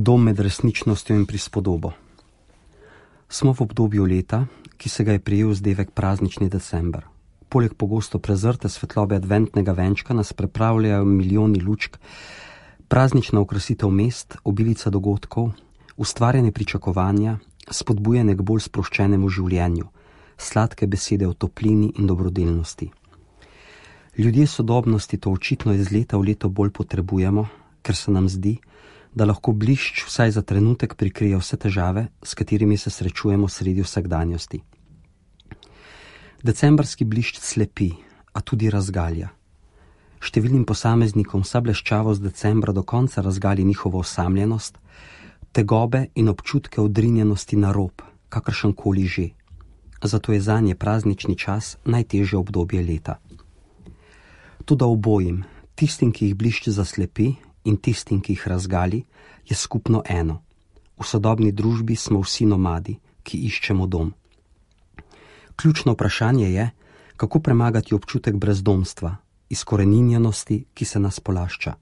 Dom med resničnostjo in prispodobo. Smo v obdobju leta, ki se ga je prijel zdevek praznični december. Poleg pogosto prezrte svetlobe adventnega venčka nas prepravljajo milijoni lučk, praznična okrasitev mest, obilica dogodkov, ustvarjanje pričakovanja, spodbujanje k bolj sproščenemu življenju, sladke besede o toplini in dobrodelnosti. Ljudje sodobnosti to očitno iz leta v leto bolj potrebujemo, ker se nam zdi, da lahko blišč vsaj za trenutek prikrije vse težave, s katerimi se srečujemo sredi vsakdanjosti. Decembrski blišč slepi, a tudi razgalja. Številnim posameznikom vsa bleščavost decembra do konca razgali njihovo osamljenost, tegobe in občutke odrinjenosti na rob, kakršenkoli že. Zato je zanje praznični čas najtežje obdobje leta. Toda obojim, tistim, ki jih blišč zaslepi, in tistim, ki jih razgali, je skupno eno. V sodobni družbi smo vsi nomadi, ki iščemo dom. Ključno vprašanje je, kako premagati občutek brezdomstva, izkoreninjenosti, ki se nas polašča.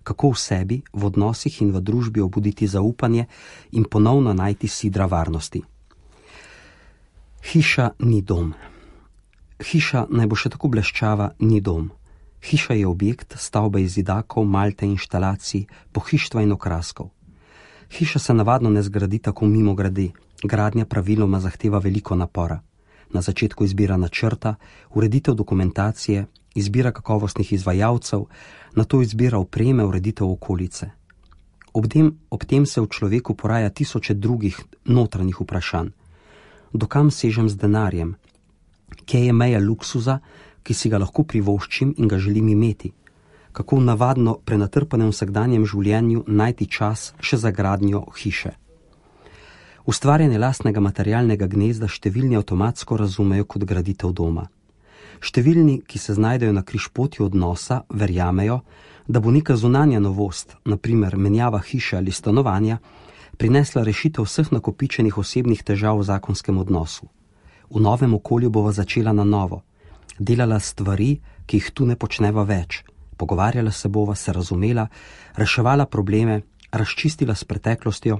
Kako v sebi, v odnosih in v družbi obuditi zaupanje in ponovno najti sidra varnosti. Hiša ni dom. Hiša, naj bo še tako bleščava, ni dom. Hiša je objekt, stavba iz zidakov, malte, inštalacij, pohištva in okraskov. Hiša se navadno ne zgradi tako mimogrede. Gradnja praviloma zahteva veliko napora. Na začetku izbira načrta, ureditev dokumentacije, izbira kakovostnih izvajalcev, nato izbira opreme, ureditev okolice. Ob tem se v človeku poraja tisoče drugih notranjih vprašanj. Dokam sežem z denarjem? Kje je meja luksuza, ki si ga lahko privoščim in ga želim imeti? Kako v navadno prenatrpanem vsakdanjem življenju najti čas še za gradnjo hiše? Ustvarjanje lastnega materialnega gnezda številni avtomatsko razumejo kot graditev doma. Številni, ki se znajdejo na križpotju odnosa, verjamejo, da bo neka zunanja novost, na primer menjava hiše ali stanovanja, prinesla rešitev vseh nakopičenih osebnih težav v zakonskem odnosu. V novem okolju bova začela na novo. Delala stvari, ki jih tu ne počneva več. Pogovarjala se bova, se razumela, reševala probleme, razčistila s preteklostjo,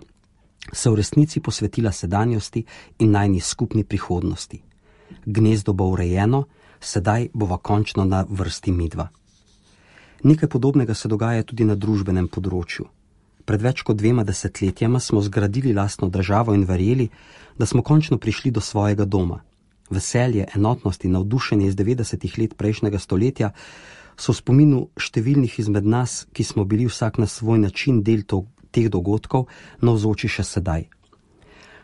se v resnici posvetila sedanjosti in najni skupni prihodnosti. Gnezdo bo urejeno, sedaj bova končno na vrsti midva. Nekaj podobnega se dogaja tudi na družbenem področju. Pred več kot 2 desetletjama smo zgradili lastno državo in verjeli, da smo končno prišli do svojega doma. Veselje, enotnost in navdušenje iz 90-ih let prejšnjega stoletja so v spominu številnih izmed nas, ki smo bili vsak na svoj način del teh dogodkov, navzoči še sedaj.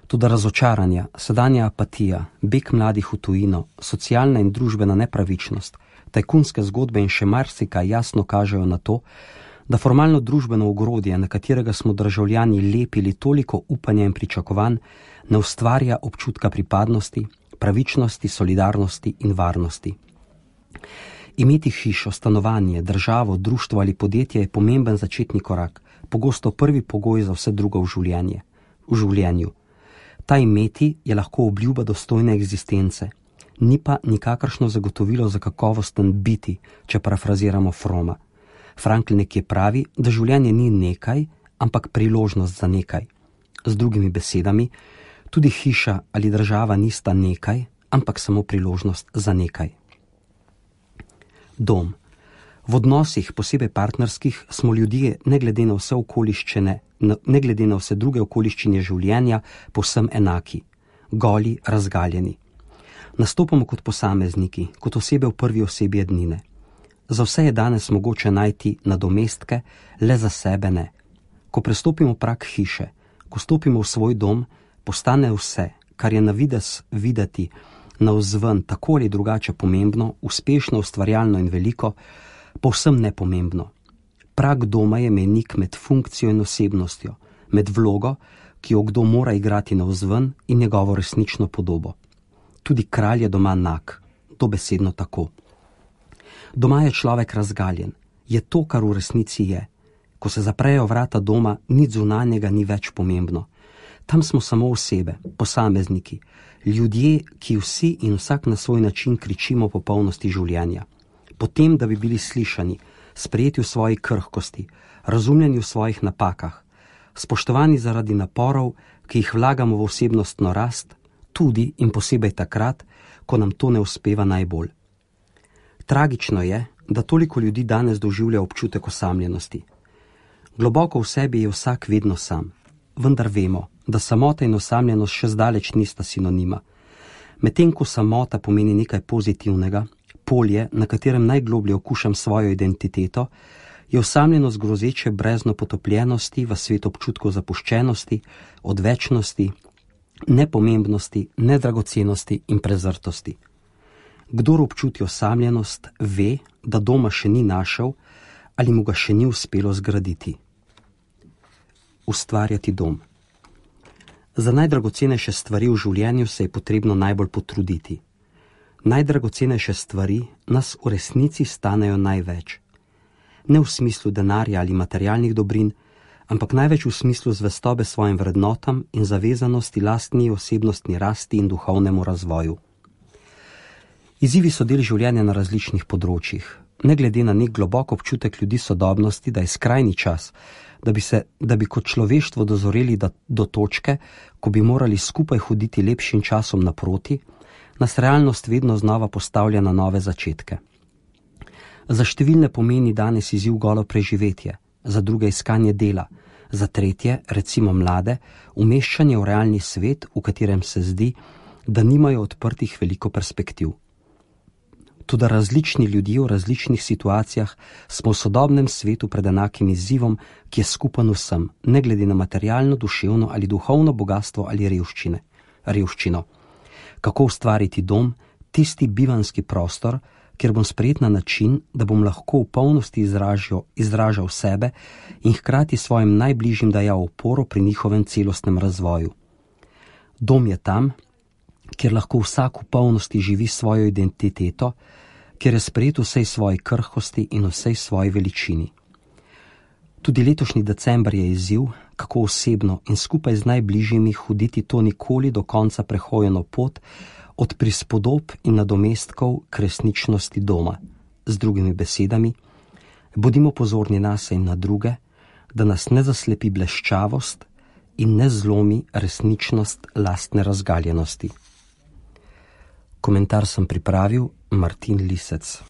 Toda razočaranja, sedanja apatija, beg mladih v tujino, socialna in družbena nepravičnost, tajkunske zgodbe in še marsikaj jasno kažejo na to, da formalno družbeno ogrodje, na katerega smo državljani lepili toliko upanja in pričakovanj, ne ustvarja občutka pripadnosti, pravičnosti, solidarnosti in varnosti. Imeti hišo, stanovanje, državo, društvo ali podjetje je pomemben začetni korak, pogosto prvi pogoj za vse drugo v življenju. Ta imeti je lahko obljuba dostojne egzistence, ni pa nikakršno zagotovilo za kakovosten biti, če parafraziramo Froma. Frankl nekje pravi, da življenje ni nekaj, ampak priložnost za nekaj. Z drugimi besedami, tudi hiša ali država nista nekaj, ampak samo priložnost za nekaj. Dom. V odnosih, posebej partnerskih, smo ljudje, ne glede na vse druge okoliščine življenja, povsem enaki, goli, razgaljeni. Nastopamo kot posamezniki, kot osebe v prvi osebi ednine. Za vse je danes mogoče najti nadomestke, le za sebe ne. Ko prestopimo prag hiše, ko stopimo v svoj dom, postane vse, kar je na videz videti, navzven tako ali drugače pomembno, uspešno, ustvarjalno in veliko, povsem nepomembno. Prag doma je mejnik med funkcijo in osebnostjo, med vlogo, ki jo kdo mora igrati navzven, in njegovo resnično podobo. Tudi kralj je doma nag, dobesedno tako. Doma je človek razgaljen, je to, kar v resnici je. Ko se zaprejo vrata doma, nič zunanjega ni več pomembno. Tam smo samo osebe, posamezniki, ljudje, ki vsi in vsak na svoj način kričimo po polnosti življenja. Potem, da bi bili slišani, sprejeti v svoji krhkosti, razumljeni v svojih napakah, spoštovani zaradi naporov, ki jih vlagamo v osebnostno rast, tudi in posebej takrat, ko nam to ne uspeva najbolj. Tragično je, da toliko ljudi danes doživlja občutek osamljenosti. Globoko v sebi je vsak vedno sam, vendar vemo, da samota in osamljenost še zdaleč nista sinonima. Medtem ko samota pomeni nekaj pozitivnega, polje, na katerem najgloblje okušam svojo identiteto, je osamljenost grozeče brezno potopljenosti v svet občutkov zapuščenosti, odvečnosti, nepomembnosti, nedragocenosti in prezrtosti. Kdor občuti osamljenost, ve, da doma še ni našel ali mu ga še ni uspelo zgraditi. Ustvarjati dom. Za najdragocenejše stvari v življenju se je potrebno najbolj potruditi. Najdragocenejše stvari nas v resnici stanejo največ. Ne v smislu denarja ali materialnih dobrin, ampak največ v smislu zvestobe svojim vrednotam in zavezanosti lastni osebnostni rasti in duhovnemu razvoju. Izzivi so del življenja na različnih področjih. Ne glede na nek globok občutek ljudi sodobnosti, da je skrajni čas, da bi kot človeštvo dozoreli do točke, ko bi morali skupaj hoditi lepšim časom naproti, nas realnost vedno znova postavlja na nove začetke. Za številne pomeni danes izziv golo preživetje, za druge iskanje dela, za tretje, recimo mlade, umeščanje v realni svet, v katerem se zdi, da nimajo odprtih veliko perspektiv. Toda različni ljudje v različnih situacijah smo v sodobnem svetu pred enakim izzivom, ki je skupen vsem, ne glede na materialno, duševno ali duhovno bogastvo ali revščino. Kako ustvariti dom, tisti bivanski prostor, kjer bom sprejet na način, da bom lahko v polnosti izražal sebe in hkrati svojim najbližjim dajal oporo pri njihovem celostnem razvoju. Dom je tam, kjer lahko vsak v polnosti živi svojo identiteto, kjer je sprejet vsej svoji krhkosti in vsej svoji veličini. Tudi letošnji december je izziv, kako osebno in skupaj z najbližjimi hoditi to nikoli do konca prehojeno pot od prispodob in nadomestkov k resničnosti doma. Z drugimi besedami, bodimo pozorni nase in na druge, da nas ne zaslepi bleščavost in ne zlomi resničnost lastne razgaljenosti. Komentar sem pripravil Martin Lisec.